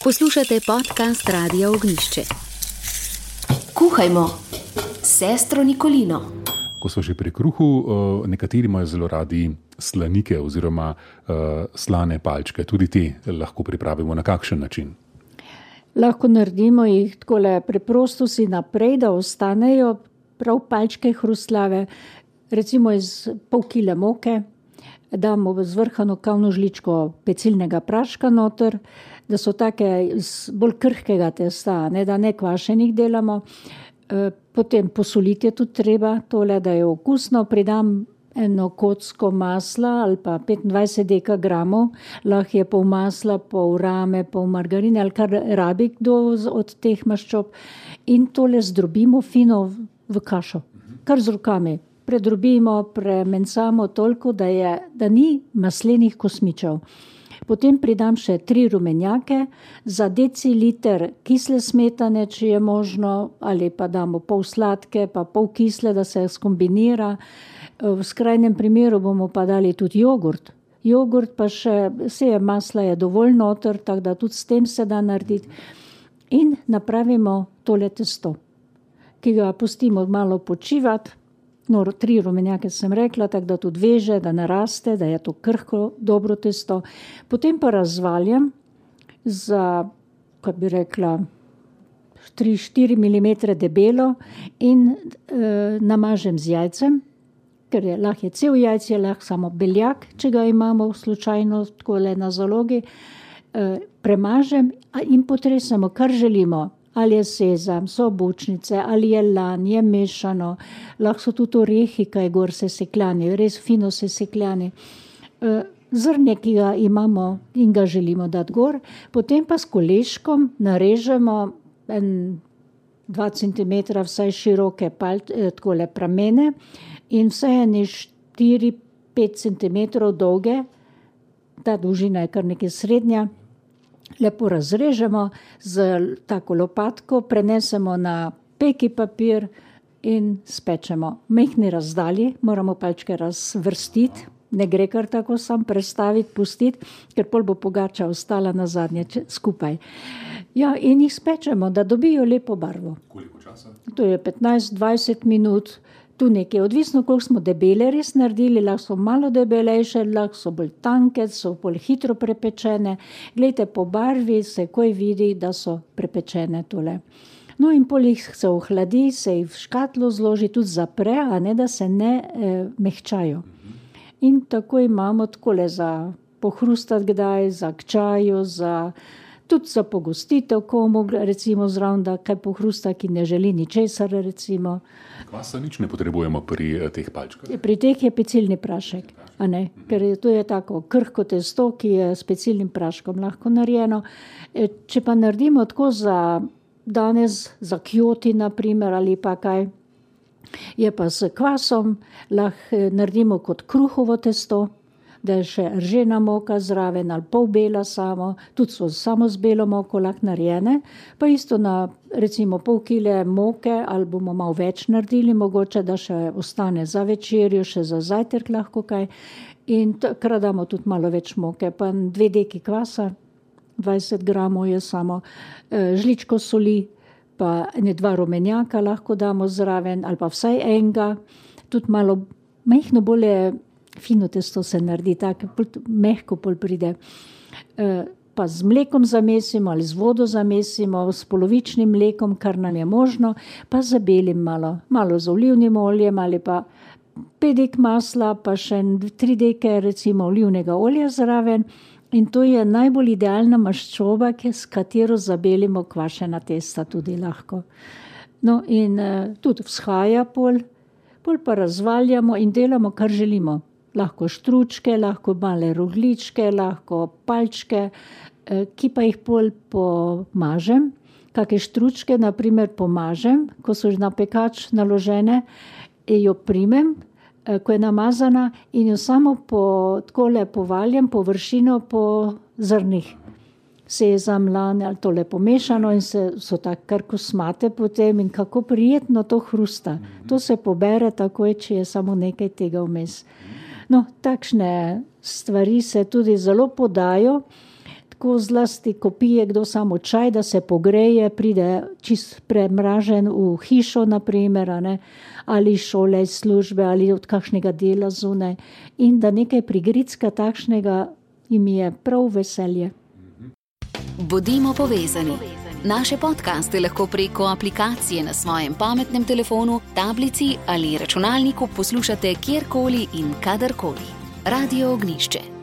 Poslušate podcast Radia Ognjišče. Kuhajmo s sestro Nikolino. Ko so že pri kruhu, nekateri imajo zelo radi slanike oziroma slane palčke. Tudi te lahko pripravimo na kakšen način? Lahko naredimo jih takole preprosto si naprej, da ostanejo prav palčke hrustljave, recimo iz pol kile moke, damo zvrhano kavno žličko pecilnega praška noter, da so take iz bolj krhkega testa, da ne kvašenih delamo. Potem posoliti je tudi treba tole, da je okusno. Pridam eno kocko masla ali pa 25 dekagramov, lahko je pol masla, pol rame, pol margarine ali kar rabi kdo od teh maščob. In tole zdrobimo fino v kašo, kar z rokami. Predrobimo, premencamo toliko, da ni maslenih kosmičev. Potem pridam še 3 rumenjake, za deciliter kisle smetane, če je možno, ali pa damo pol sladke, pa pol kisle, da se skombinira. V skrajnem primeru bomo pa dali tudi jogurt. Jogurt pa še, vse masla je dovolj noter, tako da tudi s tem se da narediti. In napravimo tole testo, ki ga pustimo malo počivati. 3 rumenjake sem rekla, tako da tudi veže, da naraste, da je to krhko, dobro testo. Potem pa razvaljam za, kako bi rekla, 3-4 mm debelo in namažem z jajcem, ker lahko je cel jajc, je lahko samo beljak, če ga imamo slučajno takole na zalogi. Premažem in potresemo, kar želimo. Ali je sezam, so bučnice, ali je lan, je mešano, lahko so tudi orehi, kaj gor se sekljani, res fino se sekljani. Zrnje, ki ga imamo in ga želimo dati gor, potem pa s koleškom narežemo 2 cm vsaj široke takole pramene in vsaj 4-5 cm dolge, ta dolžina je kar nekaj srednja. Lepo razrežemo z tako lopatko, prenesemo na peki papir in spečemo. Mehni razdalji, moramo palčke razvrstiti, ne gre kar tako sam prestaviti, pustiti, ker pol bo pogača ostala na zadnje skupaj. Ja, in jih spečemo, da dobijo lepo barvo. Koliko časa? To je 15-20 minut, tu nekaj, odvisno, koliko smo debele res naredili, lahko so malo debelejše, lahko so bolj tanke, so bolj hitro prepečene. Glejte, po barvi se koj vidi, da so prepečene tole. No in pol jih se ohladi, se jih v škatlo zloži, tudi zapre, a ne da se ne mehčajo. In tako imamo takole za pohrustati kdaj, za k čaju, tudi za pogostitev komu, recimo zraven, da kaj pohrusta, ki ne želi ničesar, recimo. Kvasa nič ne potrebujemo pri teh palčkah? Pri teh je pecilni prašek, a ne? Ker to je tako krhko testo, ki je s pecilnim praškom lahko narejeno. Če pa naredimo tako za danes, za kjoti naprimer, ali pa kaj, je pa s kvasom, lahko naredimo kot kruhovo testo, da je še ržena moka zraven ali pol bela samo, tudi so samo z belo moko lahko narejene, pa isto na recimo pol kile moke ali bomo malo več naredili, mogoče da še ostane za večerjo, še za zajtrk lahko kaj in takrat damo tudi malo več moke, pa 2 deki kvasa, 20 gramov je samo, žličko soli, pa 2 rumenjaka lahko damo zraven ali pa vsaj enega, tudi malo majhno bolje fino testo se naredi, tako mehko pol pride. Pa z mlekom zamesimo ali z vodo zamesimo, s polovičnim mlekom, kar nam je možno, pa zabelim malo z olivnim oljem ali pa 5 dek masla, pa še 3 deke recimo olivnega olja zraven in to je najbolj idealna maščoba, s katero zabelimo kvašena testa tudi lahko. No in tudi vzhaja pol pa razvaljamo in delamo, kar želimo. Lahko štručke, lahko male rogljičke, lahko palčke, ki pa jih pol pomažem. Kake štručke, naprimer, pomažem, ko so na pekač naložene, jo primem, ko je namazana in jo samo takole povaljam površino po zrnih. Sezam, lan ali tole pomešano in so tako kar kosmate potem in kako prijetno to hrusta. To se pobere takoj, če je samo nekaj tega vmes. No, takšne stvari se tudi zelo podajo, tako zlasti, ko pije kdo samo čaj, da se pogreje, pride čist premražen v hišo, naprimer, ali šole, službe, ali od kakšnega dela zunaj. In da nekaj prigricka takšnega jim je prav veselje. Bodimo povezani. Naše podcaste lahko preko aplikacije na svojem pametnem telefonu, tablici ali računalniku poslušate kjerkoli in kadarkoli. Radio Ognjišče.